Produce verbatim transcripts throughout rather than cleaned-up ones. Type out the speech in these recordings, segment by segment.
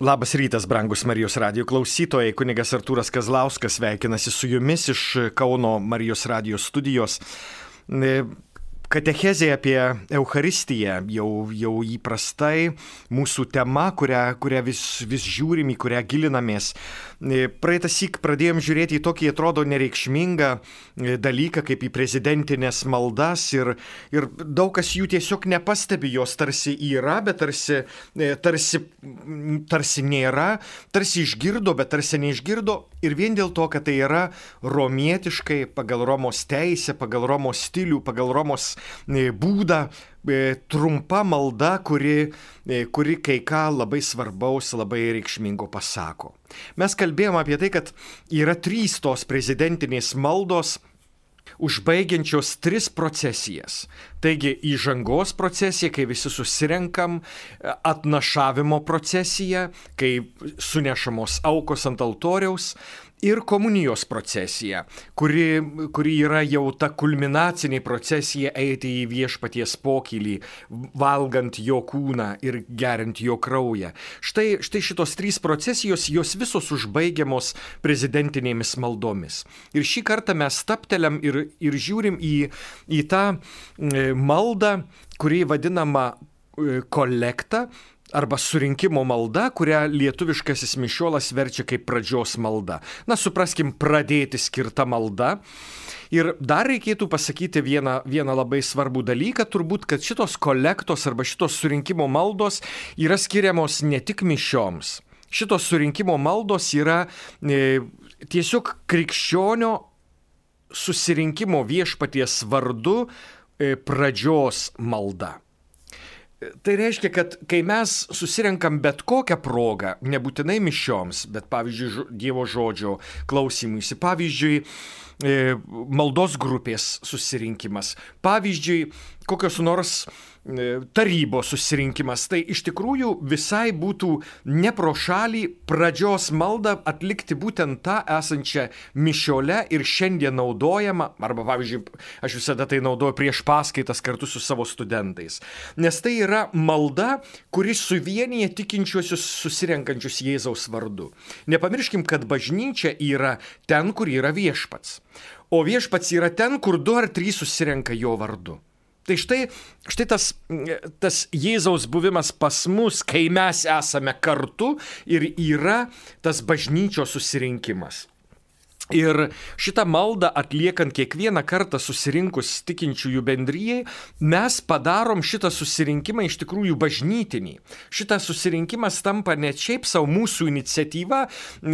Labas rytas, brangus Marijos radijo klausytojai. Kunigas Artūras Kazlauskas sveikinasi su jumis iš Kauno Marijos radijo studijos. Katechezė apie Eucharistiją jau, jau įprastai mūsų tema, kurią, kurią vis, vis žiūrim, į kurią gilinamės. Praeitą syk pradėjom žiūrėti į tokį, atrodo, nereikšmingą dalyką, kaip į prezidentinės maldas ir, ir daug kas jų tiesiog nepastebi, jos tarsi yra, bet tarsi, tarsi, tarsi nėra, tarsi išgirdo, bet tarsi neišgirdo ir vien dėl to, kad tai yra romietiškai, pagal Romos teisę, pagal Romos stilių, pagal Romos būdą, trumpa malda, kuri, kuri kai ką labai svarbaus, labai reikšmingo pasako. Mes kalbėjome apie tai, kad yra trys tos prezidentinės maldos, užbaigiančios tris procesijas. Taigi įžangos procesija, kai visi susirenkam, atnašavimo procesija, kai sunešamos aukos ant altoriaus, ir komunijos procesija, kuri, kuri yra jau ta kulminacinė procesija eiti į viešpaties pokylį, valgant jo kūną ir geriant jo kraują. Štai, štai šitos trys procesijos, jos visos užbaigiamos prezidentinėmis maldomis. Ir šį kartą mes stapteliam ir, ir žiūrim į, į tą maldą, kuri vadinama kolekta, arba surinkimo malda, kurią lietuviškasis mišiolas verčia kaip pradžios malda. Na, supraskim, pradėti skirta malda. Ir dar reikėtų pasakyti vieną, vieną labai svarbų dalyką, turbūt, kad šitos kolektos arba šitos surinkimo maldos yra skiriamos ne tik mišioms. Šitos surinkimo maldos yra e, tiesiog krikščionio susirinkimo viešpaties vardu e, pradžios malda. Tai reiškia, kad kai mes susirenkam bet kokią progą, nebūtinai mišioms, bet pavyzdžiui Dievo žodžio klausymuisi, pavyzdžiui maldos grupės susirinkimas, pavyzdžiui kokios nors tarybos susirinkimas, tai iš tikrųjų visai būtų ne pro šalį pradžios maldą atlikti būtent tą esančią mišiole ir šiandien naudojama, arba pavyzdžiui, aš visada tai naudoju prieš paskaitas kartu su savo studentais, nes tai yra malda, kuri suvienyje tikinčiuosius susirenkančius Jėzaus vardu. Nepamirškim, kad bažnyčia yra ten, kur yra viešpats, o viešpats yra ten, kur du ar trys susirenka jo vardu. Tai štai, štai tas, tas Jėzaus buvimas pas mus, kai mes esame kartu ir yra tas bažnyčios susirinkimas. Ir šitą maldą atliekant kiekvieną kartą susirinkus tikinčiųjų bendrijai, mes padarom šitą susirinkimą iš tikrųjų bažnytinį. Šitas susirinkimas tampa ne šiaip savo mūsų iniciatyva,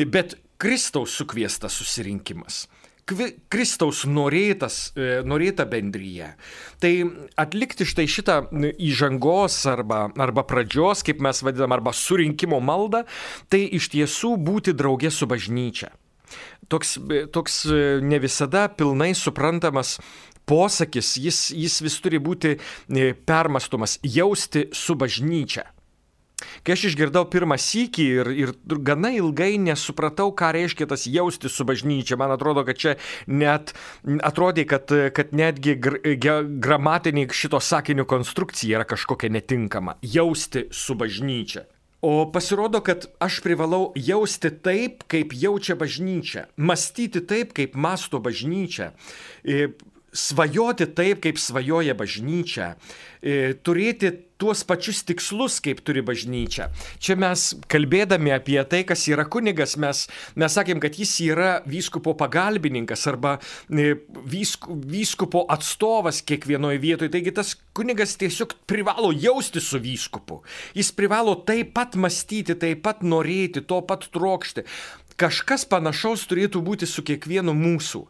bet Kristaus sukviestas susirinkimas. Kristaus norėtas, norėta bendryje. Tai atlikti štai šitą įžangos arba, arba pradžios, kaip mes vadinam, arba surinkimo maldą, tai iš tiesų būti drauge su bažnyčia. Toks, toks ne visada pilnai suprantamas posakis, jis, jis vis turi būti permastomas, jausti su bažnyčia. Kai aš išgirdau pirmą sykį ir, ir gana ilgai nesupratau, ką reiškia tas jausti su bažnyčia. Man atrodo, kad čia net atrodė, kad, kad netgi gr, gramatinė šito sakinio konstrukcija yra kažkokia netinkama. Jausti su bažnyčia. O pasirodo, kad aš privalau jausti taip, kaip jaučia bažnyčia. Mąstyti taip, kaip mąsto bažnyčia. Svajoti taip, kaip svajoja bažnyčia, turėti tuos pačius tikslus, kaip turi bažnyčia. Čia mes kalbėdami apie tai, kas yra kunigas, mes, mes sakėm, kad jis yra vyskupo pagalbininkas arba vysku, vyskupo atstovas kiekvienoje vietoje. Taigi tas kunigas tiesiog privalo jausti su vyskupu. Jis privalo taip pat mąstyti, taip pat norėti, to pat trokšti. Kažkas panašaus turėtų būti su kiekvienu mūsų.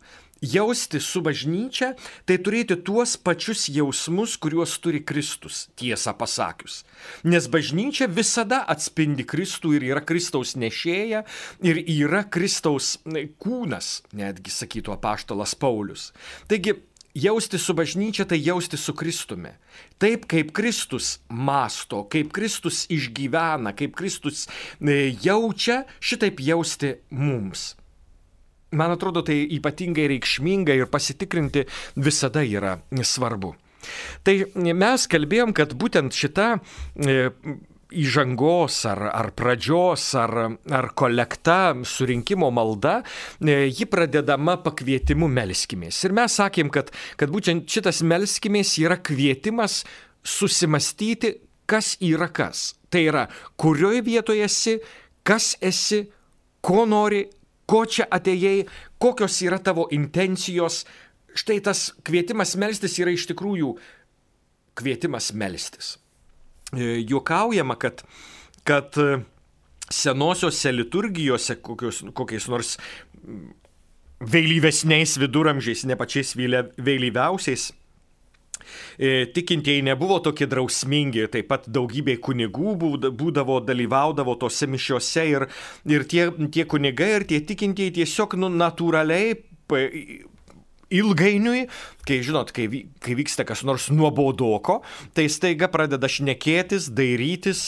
Jausti su bažnyčia, tai turėti tuos pačius jausmus, kuriuos turi Kristus, tiesą pasakius. Nes bažnyčia visada atspindi Kristų ir yra Kristaus nešėja ir yra Kristaus kūnas, netgi sakytų apaštalas Paulius. Taigi, jausti su bažnyčia, tai jausti su Kristumi. Taip, kaip Kristus mąsto, kaip Kristus išgyvena, kaip Kristus jaučia, šitaip jausti mums. Man atrodo, tai ypatingai reikšminga ir pasitikrinti visada yra svarbu. Tai mes kalbėjom, kad būtent šita įžangos ar, ar pradžios ar, ar kolekta, surinkimo malda, ji pradedama pakvietimu melskimės. Ir mes sakėm, kad, kad būtent šitas melskimės yra kvietimas susimastyti, kas yra kas. Tai yra, kurioje vietoje esi, kas esi, ko nori, ko čia atėjai, kokios yra tavo intencijos. Štai tas kvietimas melstis yra iš tikrųjų kvietimas melstis. Juokaujama, kad, kad senosiose liturgijose, kokios, kokiais nors vėlyvesniais viduramžiais, ne pačiais vėlyviausiais, tikintieji nebuvo tokie drausmingi, taip pat daugybė kunigų būdavo, dalyvaudavo tose mišiose ir, ir tie, tie kunigai ir tie tikintieji tiesiog nu, natūraliai ilgainiui, kai žinot, kai, kai vyksta kas nors nuobodoko, tai staiga pradeda šnekėtis, dairytis,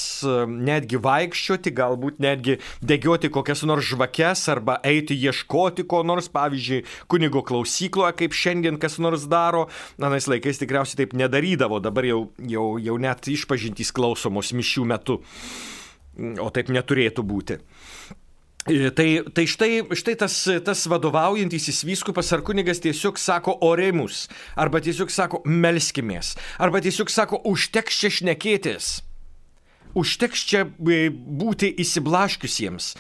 netgi vaikščioti, galbūt netgi degioti kokias nors žvakes arba eiti ieškoti ko nors, pavyzdžiui, kunigo klausykloje, kaip šiandien kas nors daro. Anais laikais tikriausiai taip nedarydavo, dabar jau, jau, jau net išpažintys klausomos mišių metu, o taip neturėtų būti. Tai, tai štai, štai tas, tas vadovaujantysis vyskupas ar kunigas tiesiog sako oremus, arba tiesiog sako melskimės, arba tiesiog sako užteks čia šnekėtis, užteks čia būti įsiblaškiusiems,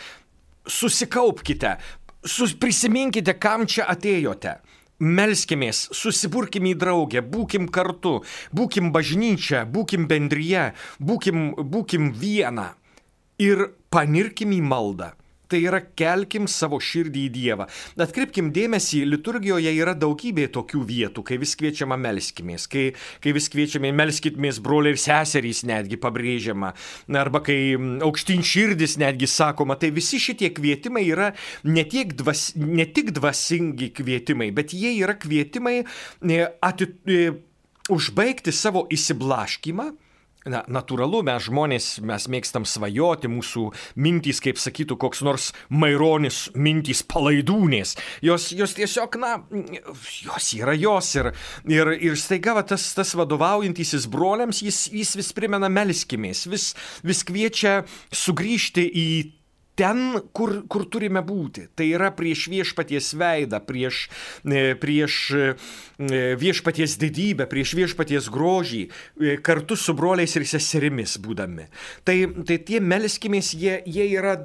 susikaupkite, sus, prisiminkite, kam čia atėjote. Melskimės, susiburkim į draugę, būkim kartu, būkim bažnyčia, būkim bendryje, būkim, būkim viena ir panirkim į maldą. Tai yra, kelkim savo širdį į Dievą. Atkreipkim dėmesį, liturgijoje yra daugybė tokių vietų, kai vis kviečiama melskimės, kai, kai vis kviečiame melskitmės broliai ir seserys netgi pabrėžiama, arba kai aukštyn širdis netgi sakoma, tai visi šitie kvietimai yra ne, tiek dvas, ne tik dvasingi kvietimai, bet jie yra kvietimai ati, užbaigti savo įsiblaškymą. Na, natūralu, mes žmonės, mes mėgstam svajoti, mūsų mintys, kaip sakytų koks nors Maironis, mintys palaidūnės. Jos, jos tiesiog, na, jos yra jos. Ir, ir, ir staiga va, tas, tas vadovaujantysis broliams, jis, jis vis primena melskimės, vis, vis kviečia sugrįžti į ten, kur, kur turime būti. Tai yra prieš viešpaties veidą, prieš, prieš viešpaties didybę, prieš viešpaties grožį, kartu su broliais ir seserimis būdami. Tai, tai tie melskimės, jie, jie yra,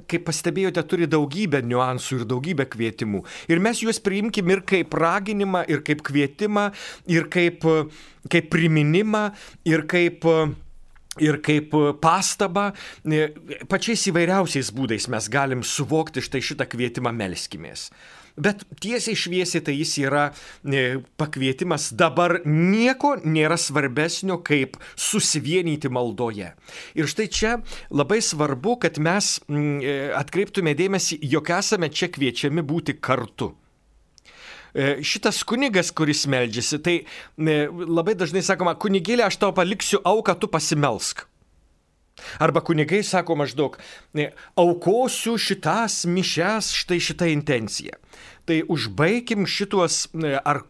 kaip pastebėjote, turi daugybę niuansų ir daugybę kvietimų. Ir mes juos priimkim ir kaip raginimą, ir kaip kvietimą, ir kaip, kaip priminimą, ir kaip... Ir kaip pastabą, pačiais įvairiausiais būdais mes galim suvokti štai šitą kvietimą melskimės. Bet tiesiai šviesiai tai jis yra pakvietimas dabar nieko nėra svarbesnio kaip susivienyti maldoje. Ir štai čia labai svarbu, kad mes atkreiptume dėmesį, jog esame čia kviečiami būti kartu. Šitas kunigas, kuris meldžiasi, tai labai dažnai sakoma, kunigėlė, aš tau paliksiu auką, tu pasimelsk. Arba kunigai sako maždaug, aukosiu šitas mišias, štai šitą intenciją. Tai užbaikim šituos ar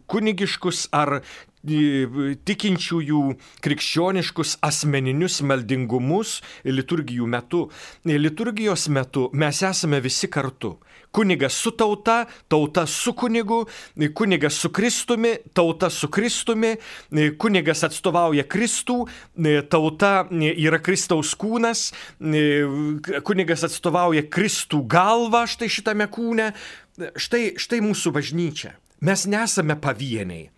kunigiškus, ar tikinčiųjų krikščioniškus asmeninius maldingumus liturgijų metu. Liturgijos metu mes esame visi kartu. Kunigas su tauta, tauta su kunigu, kunigas su Kristumi, tauta su Kristumi, kunigas atstovauja Kristų, tauta yra Kristaus kūnas, kunigas atstovauja Kristų galvą štai šitame kūne. Štai, štai mūsų bažnyčia. Mes nesame pavieniai.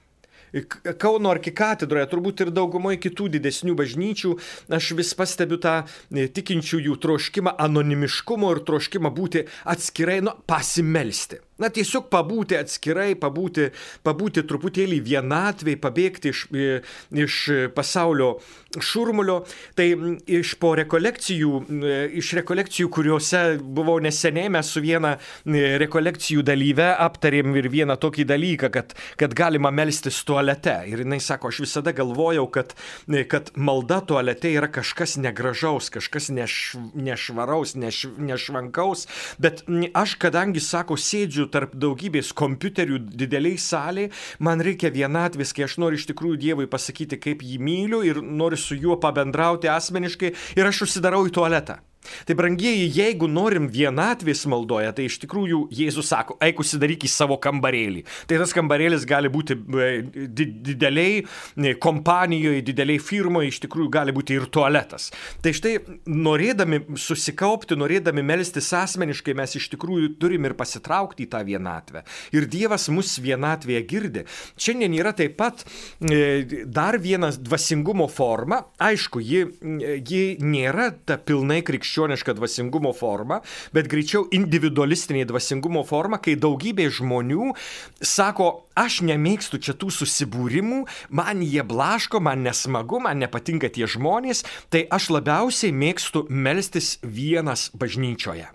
Kauno arkikatedroje, turbūt ir daugumoje kitų didesnių bažnyčių, aš vis pastebiu tą tikinčiųjų troškimą anonimiškumo ir troškimą būti atskirai, nu, pasimelsti. Na, tiesiog pabūti atskirai, pabūti, pabūti truputėlį vienatvėj, pabėgti iš, iš pasaulio šurmulio. Tai iš po rekolekcijų, iš rekolekcijų, kuriuose buvau neseniai, mes su viena rekolekcijų dalyve aptarėm ir vieną tokį dalyką, kad, kad galima melstis tualete. Ir jinai sako, aš visada galvojau, kad, kad malda tualete yra kažkas negražaus, kažkas neš, nešvaraus, neš, nešvankaus, bet aš, kadangi, sako, sėdžiu sėdžiu tarp daugybės kompiuterių dideliai salėje, man reikia vienatvės, kai aš noriu iš tikrųjų Dievui pasakyti, kaip jį myliu ir noriu su juo pabendrauti asmeniškai ir aš užsidarau į tualetą. Tai, brangieji, jeigu norim vienatvės maldoje, tai iš tikrųjų Jėzus sako, eik užsidaryk į savo kambarėlį. Tai tas kambarėlis gali būti dideliai kompanijoje, dideliai firmoje, iš tikrųjų gali būti ir tualetas. Tai štai, norėdami susikaupti, norėdami melstis asmeniškai, mes iš tikrųjų turim ir pasitraukti į tą vienatvę. Ir Dievas mus vienatvėje girdi. Šiandien yra taip pat dar viena dvasingumo forma. Aišku, ji, ji nėra ta pilnai krikščioniška dvasingumo forma, bet greičiau individualistinė dvasingumo forma, kai daugybė žmonių sako, aš nemėgstu čia tų susibūrimų, man jie blaško, man nesmagu, man nepatinka tie žmonės, tai aš labiausiai mėgstu melstis vienas bažnyčioje.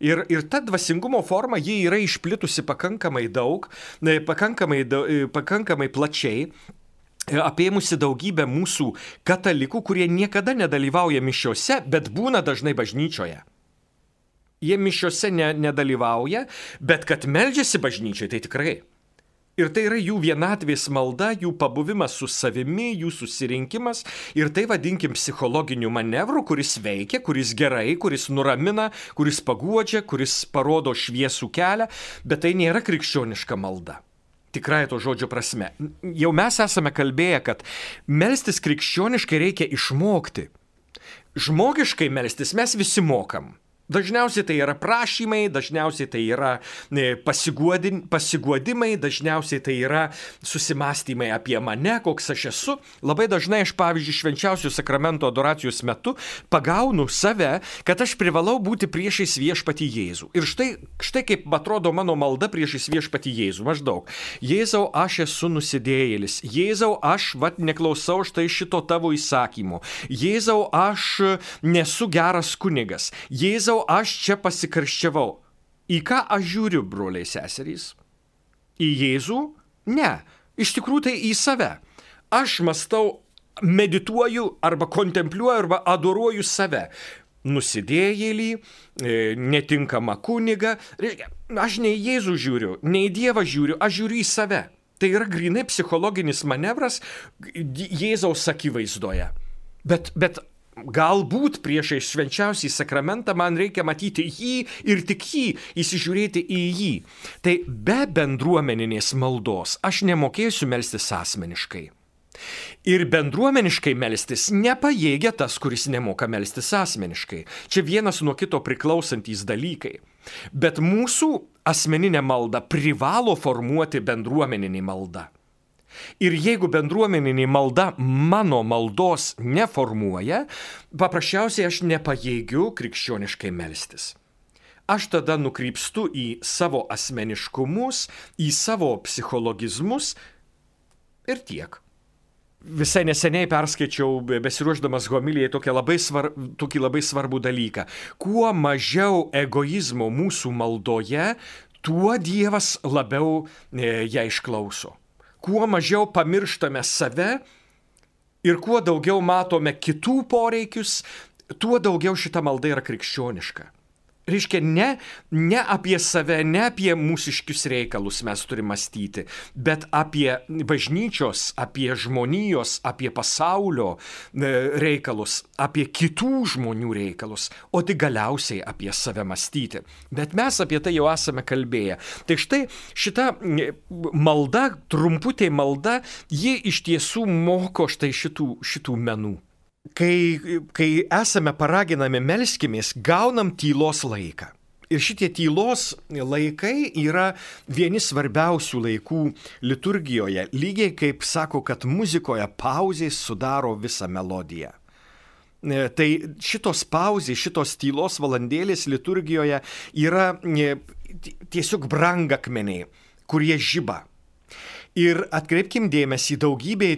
Ir, ir ta dvasingumo forma, ji yra išplitusi pakankamai daug, pakankamai, pakankamai plačiai, apėmusi daugybę mūsų katalikų, kurie niekada nedalyvauja mišiose, bet būna dažnai bažnyčioje. Jie mišiose ne, nedalyvauja, bet kad meldžiasi bažnyčioje, tai tikrai. Ir tai yra jų vienatvės malda, jų pabuvimas su savimi, jų susirinkimas. Ir tai vadinkim psichologiniu manevru, kuris veikia, kuris gerai, kuris nuramina, kuris paguodžia, kuris parodo šviesų kelią, bet tai nėra krikščioniška malda. Tikrai to žodžio prasme. Jau mes esame kalbėję, kad melstis krikščioniškai reikia išmokti. Žmogiškai melstis mes visi mokam. Dažniausiai tai yra prašymai, dažniausiai tai yra pasiguodimai, dažniausiai tai yra susimastymai apie mane, koks aš esu. Labai dažnai aš, pavyzdžiui, švenčiausio sakramento adoracijos metu pagaunu save, kad aš privalau būti priešais viešpatį Jėzų. Ir štai, štai kaip atrodo mano malda priešais viešpatį Jėzų. Maždaug. Jėzau, aš esu nusidėjėlis. Jėzau, aš vat neklausau štai šito tavo įsakymo. Jėzau, aš nesu geras kunigas. Jėzau, aš čia pasikarščiavau. Į ką aš žiūriu, broliai seserys? Į Jėzų? Ne. Iš tikrųjų tai į save. Aš mąstau, medituoju arba kontempliuoju arba adoruoju save. Nusidėjėlį, netinkamą kunigą. Aš ne į Jėzų žiūriu, ne į Dievą žiūriu, aš žiūriu į save. Tai yra grynai psichologinis manevras Jėzaus akivaizdoje. Bet, bet galbūt priešais švenčiausiai sakramentą man reikia matyti jį ir tik jį, įsižiūrėti į jį. Tai be bendruomeninės maldos aš nemokėsiu melstis asmeniškai. Ir bendruomeniškai melstis nepajėgia tas, kuris nemoka melstis asmeniškai. Čia vienas nuo kito priklausantys dalykai. Bet mūsų asmeninė malda privalo formuoti bendruomeninį maldą. Ir jeigu bendruomeninė malda mano maldos neformuoja, paprasčiausiai aš nepajėgiu krikščioniškai melstis. Aš tada nukrypstu į savo asmeniškumus, į savo psichologizmus ir tiek. Visai neseniai perskaičiau, besiruošdamas homilijai, tokį labai, svar, tokį labai svarbų dalyką. Kuo mažiau egoizmo mūsų maldoje, tuo Dievas labiau e, ją išklauso. Kuo mažiau pamirštame save ir kuo daugiau matome kitų poreikius, tuo daugiau šita malda yra krikščioniška. Reiškia, ne, ne apie save, ne apie mūsiškius reikalus mes turime mąstyti, bet apie bažnyčios, apie žmonijos, apie pasaulio reikalus, apie kitų žmonių reikalus, o tik galiausiai apie save mąstyti. Bet mes apie tai jau esame kalbėję. Tai štai šita malda, trumputė malda, ji iš tiesų moko štai šitų, šitų menų. Kai, kai esame paraginami melskimės, gaunam tylos laiką. Ir šitie tylos laikai yra vieni svarbiausių laikų liturgijoje, lygiai kaip sako, kad muzikoje pauzės sudaro visą melodiją. Tai šitos pauzės, šitos tylos valandėlės liturgijoje yra tiesiog brangakmeniai, kurie žiba. Ir atkreipkim dėmesį, daugybė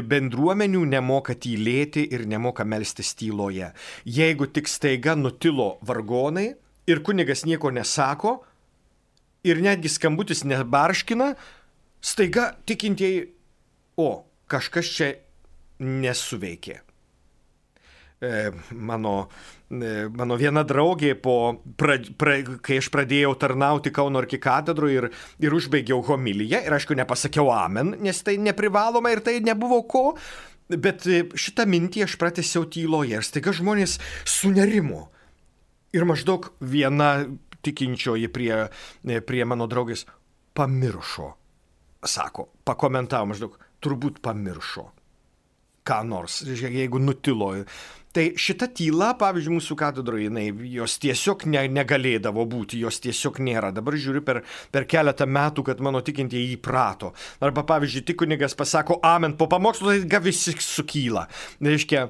bendruomenių nemoka tylėti ir nemoka melstis tyloje. Jeigu tik staiga nutilo vargonai ir kunigas nieko nesako ir netgi skambutis nebarškina, staiga tikintieji, o, kažkas čia nesuveikė. mano, mano viena draugė, po, pra, pra, kai aš pradėjau tarnauti Kauno arkikatedroje ir, ir užbaigiau homiliją, ir aišku, nepasakiau amen, nes tai neprivaloma ir tai nebuvo ko, bet šitą mintį aš pratęsiau tyloje ir staiga žmonės sunerimo. Ir maždaug viena tikinčioji prie, prie mano draugės pamiršo, sako, pakomentavo maždaug, turbūt pamiršo ką nors, jeigu nutilo. Tai šita tyla, pavyzdžiui, mūsų katedroje, jinai, jos tiesiog ne, negalėdavo būti, jos tiesiog nėra. Dabar žiūriu per, per keletą metų, kad mano tikintieji įprato. Arba, pavyzdžiui, tik kunigas pasako amen po pamokslo, tai visi sukyla. Reiškia,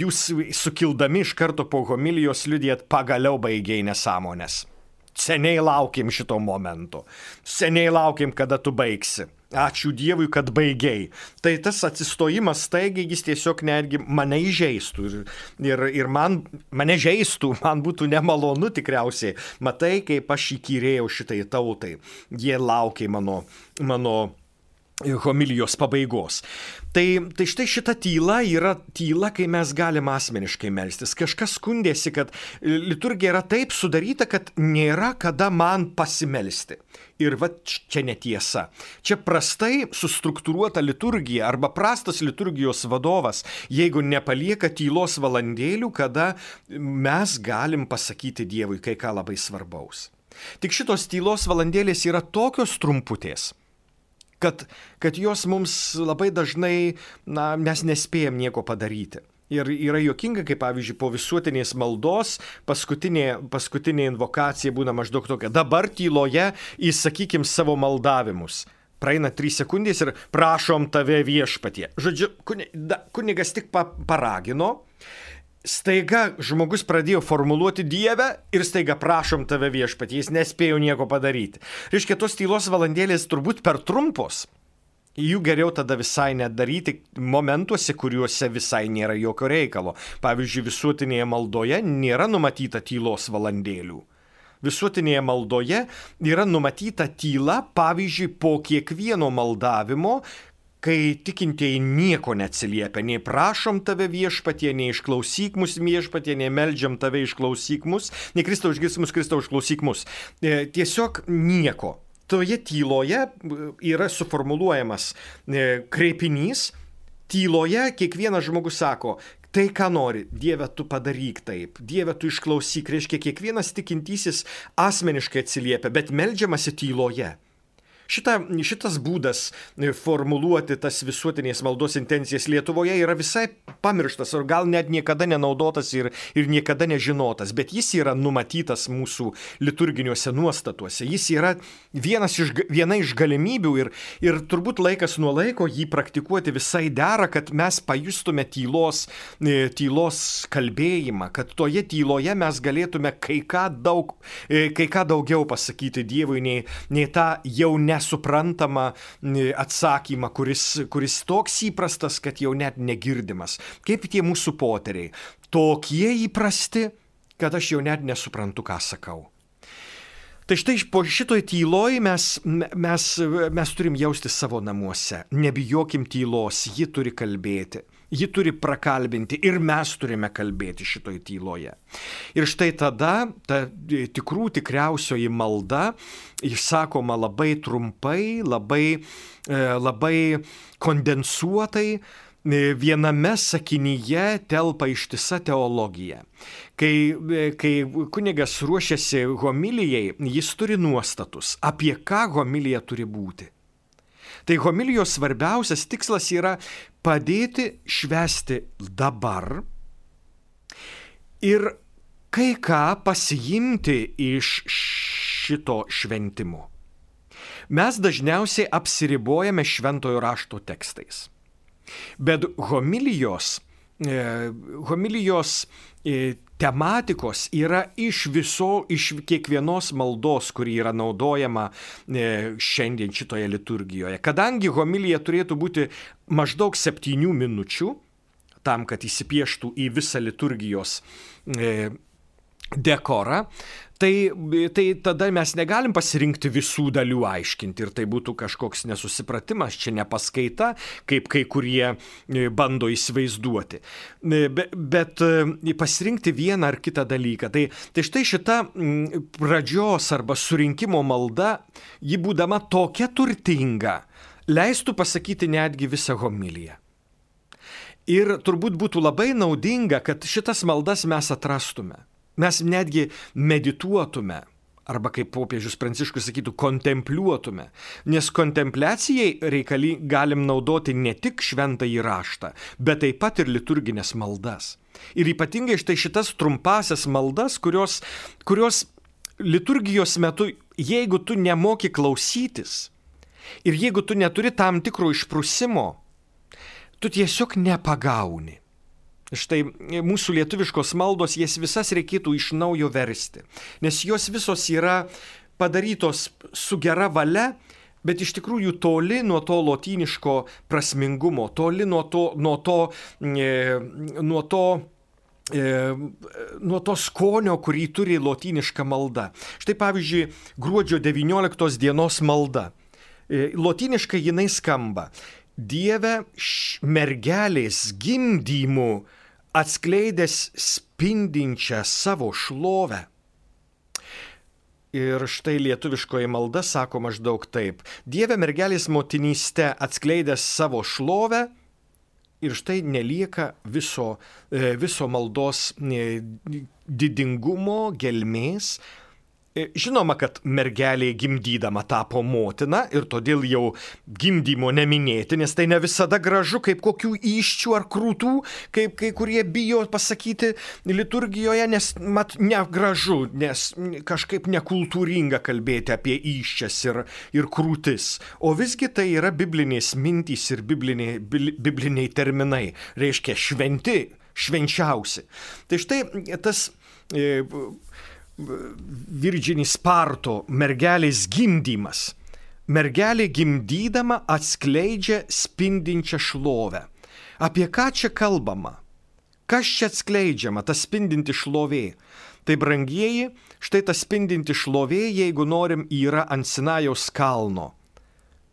jūs sukildami iš karto po homilijos liudijat, pagaliau baigiai nesąmonės. Seniai laukiam šito momento. Seniai laukiam, kada tu baigsi. Ačiū Dievui, kad baigiai. Tai tas atsistojimas staigiai, jis tiesiog netgi mane įžeistų. Ir, ir, ir man, mane žeistų, man būtų nemalonu tikriausiai. Matai, kaip aš įkyrėjau šitai tautai. Jie laukia mano, mano homilijos pabaigos. Tai, tai štai šita tyla yra tyla, kai mes galim asmeniškai melstis. Kažkas skundėsi, kad liturgija yra taip sudaryta, kad nėra kada man pasimelsti. Ir va čia netiesa. Čia prastai sustruktūruota liturgija arba prastas liturgijos vadovas, jeigu nepalieka tylos valandėlių, kada mes galim pasakyti Dievui kai ką labai svarbaus. Tik šitos tylos valandėlės yra tokios trumputės, Kad, kad jos mums labai dažnai, na, mes nespėjom nieko padaryti. Ir yra juokinga, kaip pavyzdžiui, po visuotinės maldos paskutinė, paskutinė invokacija būna maždaug tokia. Dabar tyloje įsakykim savo maldavimus. Praeina trys sekundės ir prašom tave viešpatie. Žodžiu, kunigas tik paragino. Staiga žmogus pradėjo formuluoti Dievę ir staiga prašom tave viešpatie, jis nespėjo nieko padaryti. Reiškia, tos tylos valandėlės turbūt per trumpos. Jų geriau tada visai nedaryti momentuose, kuriuose visai nėra jokio reikalo. Pavyzdžiui, visuotinėje maldoje nėra numatyta tylos valandėlių. Visuotinėje maldoje yra numatyta tyla, pavyzdžiui, po kiekvieno maldavimo, kai tikintieji nieko neatsiliepia, nei prašom tave viešpatie, nei išklausyk mus viešpatie, nei meldžiam tave išklausyk mus, nei Kristau išgirsk mus, Kristau išklausyk mus. E, tiesiog nieko. Toje tyloje yra suformuluojamas e, kreipinys, tyloje kiekvienas žmogus sako, tai ką nori, Dieve tu padaryk taip, Dieve tu išklausyk, reiškia kiekvienas tikintysis asmeniškai atsiliepia, bet meldžiamasi tyloje. Šita, šitas būdas formuluoti tas visuotinės maldos intencijas Lietuvoje yra visai pamirštas, ar gal net niekada nenaudotas ir, ir niekada nežinotas, bet jis yra numatytas mūsų liturginiuose nuostatuose. Jis yra vienas iš, viena iš galimybių ir, ir turbūt laikas nuo laiko jį praktikuoti visai dera, kad mes pajustume tylos, tylos kalbėjimą, kad toje tyloje mes galėtume kai ką, daug, kai ką daugiau pasakyti Dievui, nei, nei tą jau ne suprantama atsakymą, kuris, kuris toks įprastas, kad jau net negirdimas. Kaip tie mūsų poteriai. Tokie įprasti, kad aš jau net nesuprantu, ką sakau. Tai štai po šitoj tyloj mes, mes, mes turim jausti savo namuose. Nebijokim tylos, ji turi kalbėti. Ji turi prakalbinti ir mes turime kalbėti šitoj tyloje. Ir štai tada ta tikrų tikriausioji malda išsakoma labai trumpai, labai, labai kondensuotai, viename sakinyje telpa ištisa teologija. Kai, kai kunigas ruošiasi homilijai, jis turi nuostatus, apie ką homilija turi būti. Tai homilijos svarbiausias tikslas yra padėti švęsti dabar ir kai ką pasiimti iš šito šventimo. Mes dažniausiai apsiribojame šventojo rašto tekstais. Bet homilijos, homilijos tematikos yra iš viso, iš kiekvienos maldos, kuri yra naudojama šiandien šitoje liturgijoje. Kadangi homilija turėtų būti maždaug septynių minučių, tam, kad įsipieštų į visą liturgijos dekorą, tai, tai tada mes negalim pasirinkti visų dalių aiškinti ir tai būtų kažkoks nesusipratimas, čia ne paskaita, kaip kai kurie bando įsivaizduoti. Bet, bet pasirinkti vieną ar kitą dalyką. Tai, tai štai šita pradžios arba surinkimo malda, ji būdama tokia turtinga, leistų pasakyti netgi visą homiliją. Ir turbūt būtų labai naudinga, kad šitas maldas mes atrastume. Mes netgi medituotume, arba kaip popiežius Pranciškus sakytų, kontempliuotume. Nes kontempliacijai reikali galim naudoti ne tik šventąjį raštą, bet taip pat ir liturginės maldas. Ir ypatingai štai šitas trumpasias maldas, kurios, kurios liturgijos metu, jeigu tu nemoki klausytis ir jeigu tu neturi tam tikro išprusimo, tu tiesiog nepagauni. Štai mūsų lietuviškos maldos, jas visas reikėtų iš naujo versti, nes jos visos yra padarytos su gera valia, bet iš tikrųjų toli nuo to lotyniško prasmingumo, toli nuo to, nuo to, e, nuo to, e, nuo to skonio, kurį turi lotyniška malda. Štai pavyzdžiui, gruodžio devynioliktos dienos malda. E, lotyniškai jinai skamba: Dieve mergelės gimdymu atskleidęs spindinčią savo šlovę. Ir štai lietuviškoji malda sako maždaug taip: Dieve mergelės motinyste atskleidęs savo šlovę, ir štai nelieka viso, viso maldos didingumo, gelmės. Žinoma, kad mergelė gimdydama tapo motina ir todėl jau gimdymo neminėti, nes tai ne visada gražu, kaip kokių įsčių ar krūtų, kaip kai kurie bijo pasakyti liturgijoje, nes mat negražu, nes kažkaip nekultūringa kalbėti apie įsčias ir, ir krūtis. O visgi tai yra biblinės mintys ir bibliniai, bibliniai terminai, reiškia šventi, švenčiausi. Tai štai tas e, Virginis Sparto mergelės gimdymas. Mergelė gimdydama atskleidžia spindinčią šlovę. Apie ką čia kalbama? Kas čia atskleidžiama, ta spindinti šlovė? Tai brangieji, štai ta spindinti šlovė, jeigu norim, yra ant Sinajaus kalno.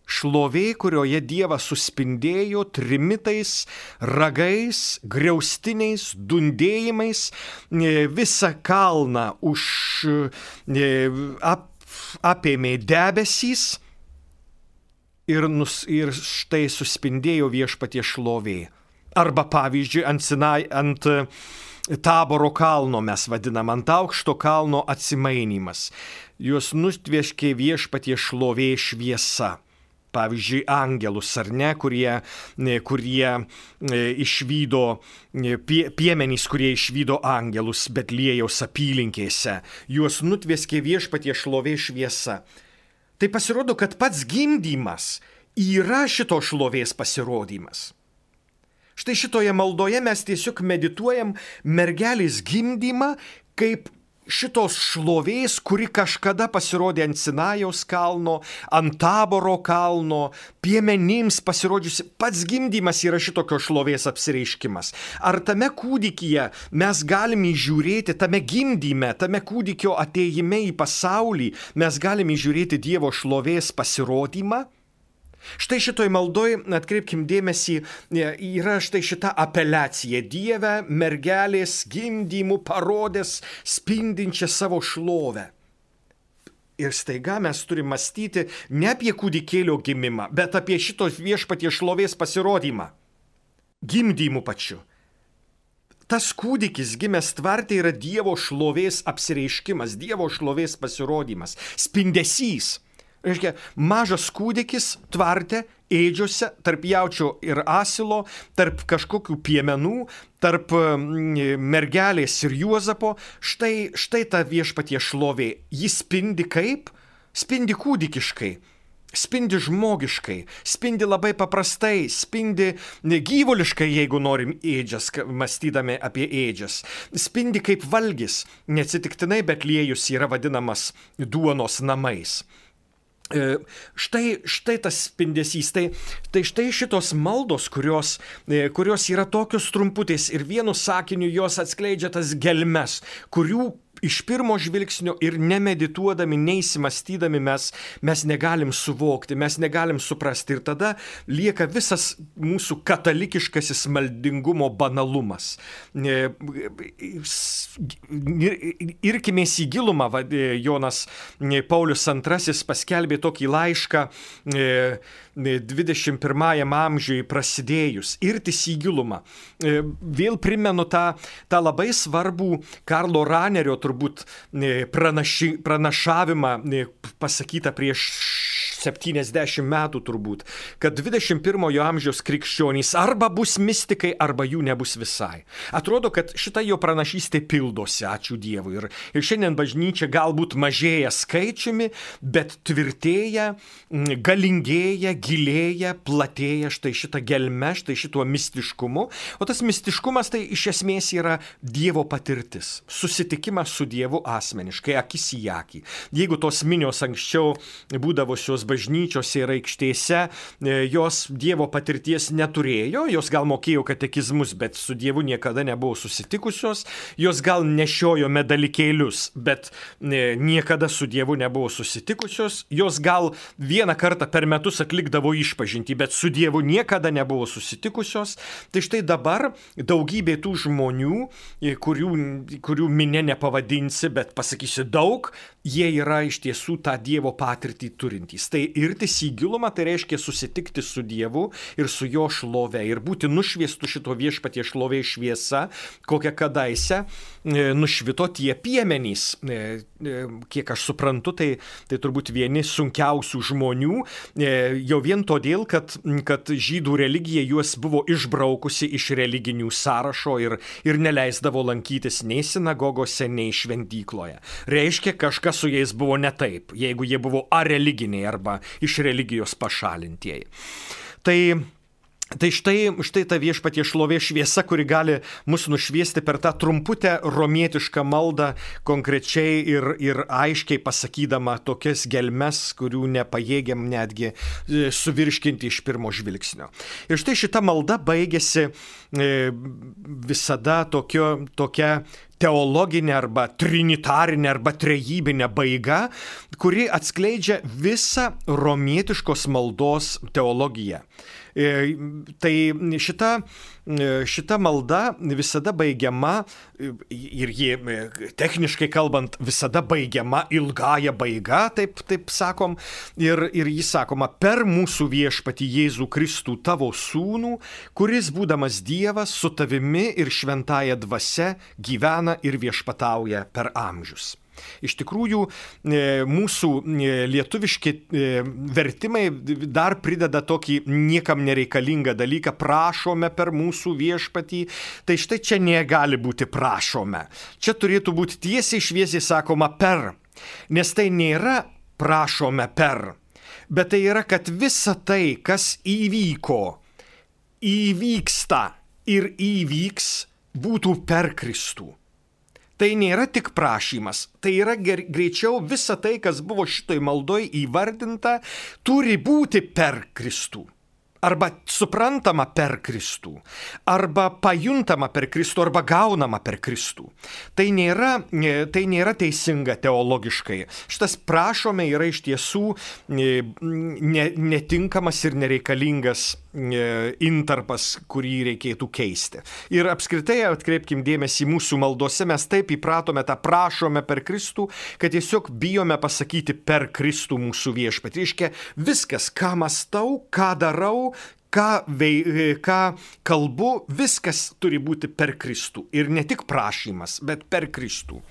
Šlovė, kurioje Dievas suspindėjo trimitais, ragais, griaustiniais, dundėjimais, visą kalną už ap, apėmė debesys ir, nus, ir štai suspindėjo Viešpatie šlovė. Arba pavyzdžiui, ant, Sinai, ant Taboro kalno mes vadinam, ant aukšto kalno atsimainimas. Juos nutvieškė Viešpatie šlovė šviesa. Pavyzdžiui, angelus, ar ne, kurie, kurie išvydo, pie, piemenys, kurie išvydo angelus Betliejaus apylinkėse. Juos nutvieskė Viešpatie šlovė šviesa. Tai pasirodo, kad pats gimdymas yra šito šlovės pasirodymas. Štai šitoje maldoje mes tiesiog medituojam mergelės gimdymą kaip šitos šlovės, kuri kažkada pasirodė ant Sinajaus kalno, ant Taboro kalno, piemenims pasirodžiusi. Pats gimdymas yra šitokio šlovės apsireiškimas. Ar tame kūdikyje mes galime įžiūrėti, tame gimdyme, tame kūdikio atėjime į pasaulį, mes galime įžiūrėti Dievo šlovės pasirodymą? Štai šitoj maldoj, atkreipkim dėmesį, yra štai šita apeliacija: Dieve mergelės gimdymų parodęs spindinčią savo šlovę. Ir staiga mes turime mąstyti ne apie kūdikėlio gimimą, bet apie šitos Viešpatie šlovės pasirodymą. Gimdymų pačiu. Tas kūdikis gimęs tvarte yra Dievo šlovės apsireiškimas, Dievo šlovės pasirodymas, spindesys. Reiškia, mažas kūdikis tvarte, ėdžiuose, tarp jaučio ir asilo, tarp kažkokių piemenų, tarp mergelės ir Juozapo. Štai, štai ta Viešpatie šlovė. Ji spindi kaip? Spindi kūdikiškai. Spindi žmogiškai, spindi labai paprastai, spindi gyvuliškai, jeigu norim ėdžias, mąstydami apie ėdžias. Spindi kaip valgis. Neatsitiktinai Betliejus yra vadinamas duonos namais. Štai, štai tas spindesys, tai, tai štai šitos maldos, kurios, kurios yra tokios trumputės ir vienu sakiniu jos atskleidžia tas gelmes, kurių iš pirmo žvilgsnio ir nemedituodami, neįsimastydami mes, mes negalim suvokti, mes negalim suprasti. Ir tada lieka visas mūsų katalikiškasis maldingumo banalumas. Irkimės į gilumą, Jonas Paulius antrasis paskelbė tokį laišką dvidešimt pirmajam amžiui prasidėjus, irtis į gilumą. Vėl primenu tą, tą labai svarbų Karlo Ranerio turbūt pranaši, pranašavimą pasakytą prieš septyniasdešimt metų turbūt, kad dvidešimt pirmojo amžiaus krikščionys arba bus mistikai, arba jų nebus visai. Atrodo, kad šita jo pranašystė pildosi, ačiū Dievui. Ir, ir šiandien bažnyčia galbūt mažėja skaičiumi, bet tvirtėja, galingėja, gilėja, platėja štai šitą gelmę, štai šituo mistiškumu. O tas mistiškumas tai iš esmės yra Dievo patirtis. Susitikimas su Dievu asmeniškai, akis į akį. Jeigu tos minios anksčiau būdavusios bažnyčiose ir aikštėse, jos Dievo patirties neturėjo, jos gal mokėjo katekizmus, bet su Dievu niekada nebuvo susitikusios, jos gal nešiojo medalikėlius, bet niekada su Dievu nebuvo susitikusios, jos gal vieną kartą per metus atlikdavo išpažintį, bet su Dievu niekada nebuvo susitikusios. Tai štai dabar daugybė tų žmonių, kurių, kurių minė nepavadinsi, bet pasakysi daug, jie yra iš tiesų tą Dievo patirtį turintys. Tai irtis į gilumą, tai reiškia susitikti su Dievu ir su jo šlove ir būti nušviestų šito viešpatie šlovė šviesa, kokią kadaise nušvito tie piemenys. Kiek aš suprantu, tai, tai turbūt vieni sunkiausių žmonių, jau vien todėl, kad, kad žydų religija juos buvo išbraukusi iš religinių sąrašo ir, ir neleisdavo lankytis nei sinagogose, nei šventykloje. Reiškia, kažkas su jais buvo ne taip, jeigu jie buvo areliginiai arba iš religijos pašalintieji. Tai, tai štai, štai ta viešpatie šlovė šviesa, kuri gali mus nušviesti per tą trumputę romietišką maldą, konkrečiai ir, ir aiškiai pasakydama tokias gelmes, kurių nepajėgiam netgi suvirškinti iš pirmo žvilgsnio. Ir štai šita malda baigėsi visada tokio, tokia teologinė arba trinitarinė arba trejybinė baiga, kuri atskleidžia visą romietiškos maldos teologiją. Tai šita, šita malda visada baigiama, ir ji techniškai kalbant visada baigiama ilgąja baiga, taip, taip sakom, ir, ir jis sakoma, per mūsų viešpatį Jėzų Kristų tavo sūnų, kuris būdamas Dievas su tavimi ir šventąja dvasia gyvena ir viešpatauja per amžius. Iš tikrųjų, mūsų lietuviški vertimai dar prideda tokį niekam nereikalingą dalyką, prašome per mūsų viešpatį. Tai štai čia negali būti prašome. Čia turėtų būti tiesiai šviesiai sakoma per, nes tai nėra prašome per, bet tai yra, kad visa tai, kas įvyko, įvyksta ir įvyks, būtų per Kristų. Tai nėra tik prašymas, tai yra greičiau visa tai, kas buvo šitoj maldoj įvardinta, turi būti per Kristų. Arba suprantama per Kristų, arba pajuntama per Kristų, arba gaunama per Kristų. Tai nėra, tai nėra teisinga teologiškai. Šitas prašome yra iš tiesų netinkamas ir nereikalingas intarpas, kurį reikėtų keisti. Ir apskritai atkreipkim dėmesį, mūsų maldose mes taip įpratome tą prašome per Kristų, kad tiesiog bijome pasakyti per Kristų mūsų viešpatį. Reiškia, viskas, ką mąstau, ką darau, Ką, vei, ką kalbu, viskas turi būti per Kristų. Ir ne tik prašymas, bet per Kristų.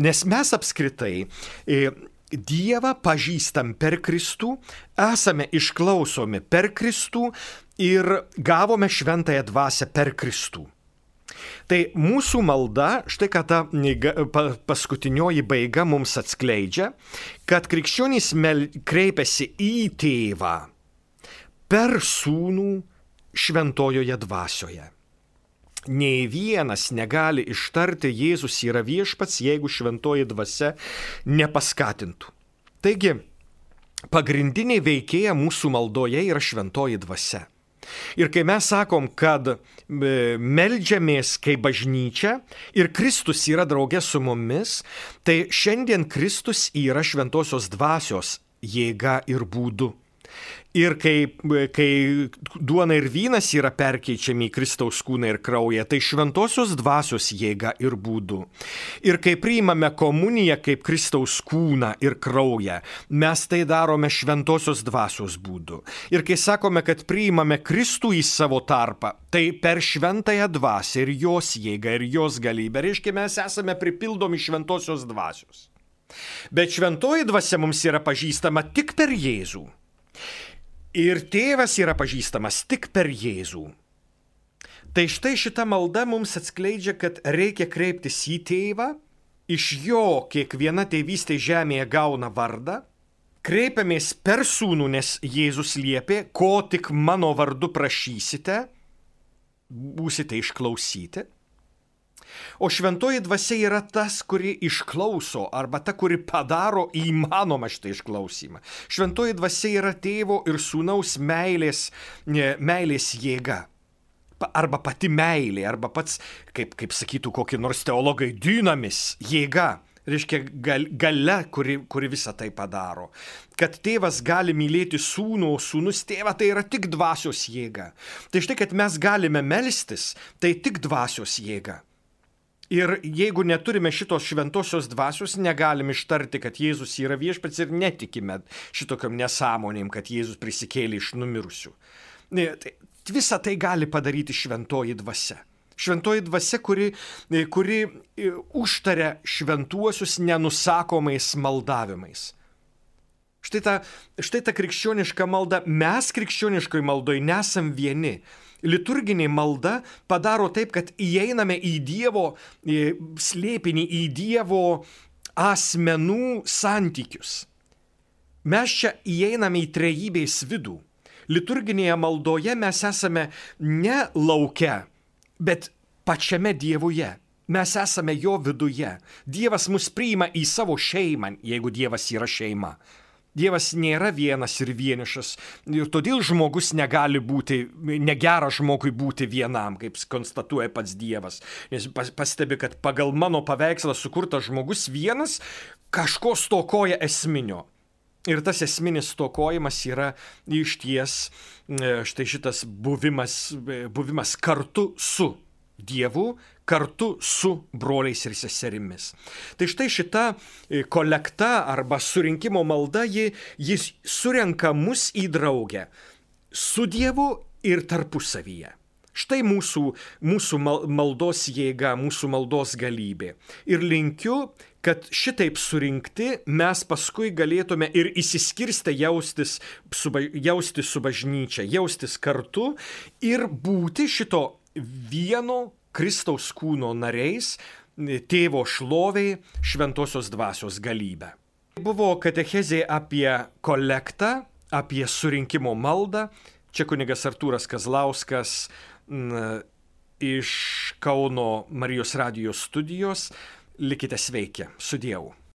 Nes mes apskritai e, Dievą pažįstam per Kristų, esame išklausomi per Kristų ir gavome šventąją dvasią per Kristų. Tai mūsų malda, štai ką ta paskutinioji baiga mums atskleidžia, kad krikščionys kreipiasi į Tėvą per Sūnų šventojoje dvasioje. Nei vienas negali ištarti Jėzus yra viešpats, jeigu šventoji dvasia nepaskatintų. Taigi, pagrindinė veikėja mūsų maldoje yra šventoji dvasia. Ir kai mes sakom, kad meldžiamės kaip bažnyčia ir Kristus yra draugė su mumis, tai šiandien Kristus yra šventosios dvasios jėga ir būdu. Ir kai, kai duona ir vynas yra perkeičiami į Kristaus kūną ir kraują, tai šventosios dvasios jėga ir būdu. Ir kai priimame komuniją kaip Kristaus kūną ir kraują, mes tai darome šventosios dvasios būdu. Ir kai sakome, kad priimame Kristų į savo tarpą, tai per šventąją dvasią ir jos jėgą ir jos galybę, reiškia, mes esame pripildomi šventosios dvasios. Bet šventoji dvasia mums yra pažįstama tik per Jėzų. Ir tėvas yra pažįstamas tik per Jėzų. Tai štai šita malda mums atskleidžia, kad reikia kreiptis į tėvą, iš jo kiekviena tėvystė žemėje gauna vardą, kreipiamės per sūnų, nes Jėzus liepė, ko tik mano vardu prašysite, būsite išklausyti. O šventoji dvasia yra tas, kuri išklauso, arba ta, kuri padaro įmanomą šitą išklausimą. Šventoji dvasia yra tėvo ir sūnaus meilės, meilės jėga. Arba pati meilė, arba pats, kaip, kaip sakytų kokie nors teologai, dynamis jėga. Reiškia gal, galia, kuri, kuri visą tai padaro. Kad tėvas gali mylėti sūnų, o sūnus tėvą, tai yra tik dvasios jėga. Tai štai, kad mes galime melstis, tai tik dvasios jėga. Ir jeigu neturime šitos šventosios dvasios, negalim ištarti, kad Jėzus yra viešpats ir netikime šitokiam nesąmonėm, kad Jėzus prisikėlė iš numirusių. Visą tai gali padaryti šventoji dvasia. Šventoji dvasia, kuri, kuri užtaria šventuosius nenusakomais maldavimais. Štai ta, štai ta krikščioniška malda, mes krikščioniškoj maldoj nesam vieni. Liturginė malda padaro taip, kad įeiname į Dievo slėpinį, į Dievo asmenų santykius. Mes čia įeiname į trejybės vidų. Liturginėje maldoje mes esame ne lauke, bet pačiame Dievuje. Mes esame jo viduje. Dievas mus priima į savo šeimą, jeigu Dievas yra šeima. Dievas nėra vienas ir vienišas ir todėl žmogus negali būti, negera žmogui būti vienam, kaip konstatuoja pats Dievas. Nes pastebi, kad pagal mano paveikslą sukurtas žmogus vienas kažko stokoja esminio. Ir tas esminis stokojimas yra išties štai šitas buvimas, buvimas kartu su Dievu, kartu su broliais ir seserimis. Tai štai šita kolekta arba surinkimo malda, ji, jis surenka mus į draugę su Dievu ir tarpusavyje. Štai mūsų, mūsų maldos jėga, mūsų maldos galybė. Ir linkiu, kad šitaip surinkti mes paskui galėtume ir įsiskirstę jaustis su, jaustis su bažnyčia, jaustis kartu ir būti šito vieno Kristaus kūno nariais, tėvo šloviai, šventosios dvasios galybę. Buvo katechezė apie kolektą, apie surinkimo maldą. Čia kunigas Artūras Kazlauskas n, iš Kauno Marijos radijos studijos. Likite sveiki, su Dievu.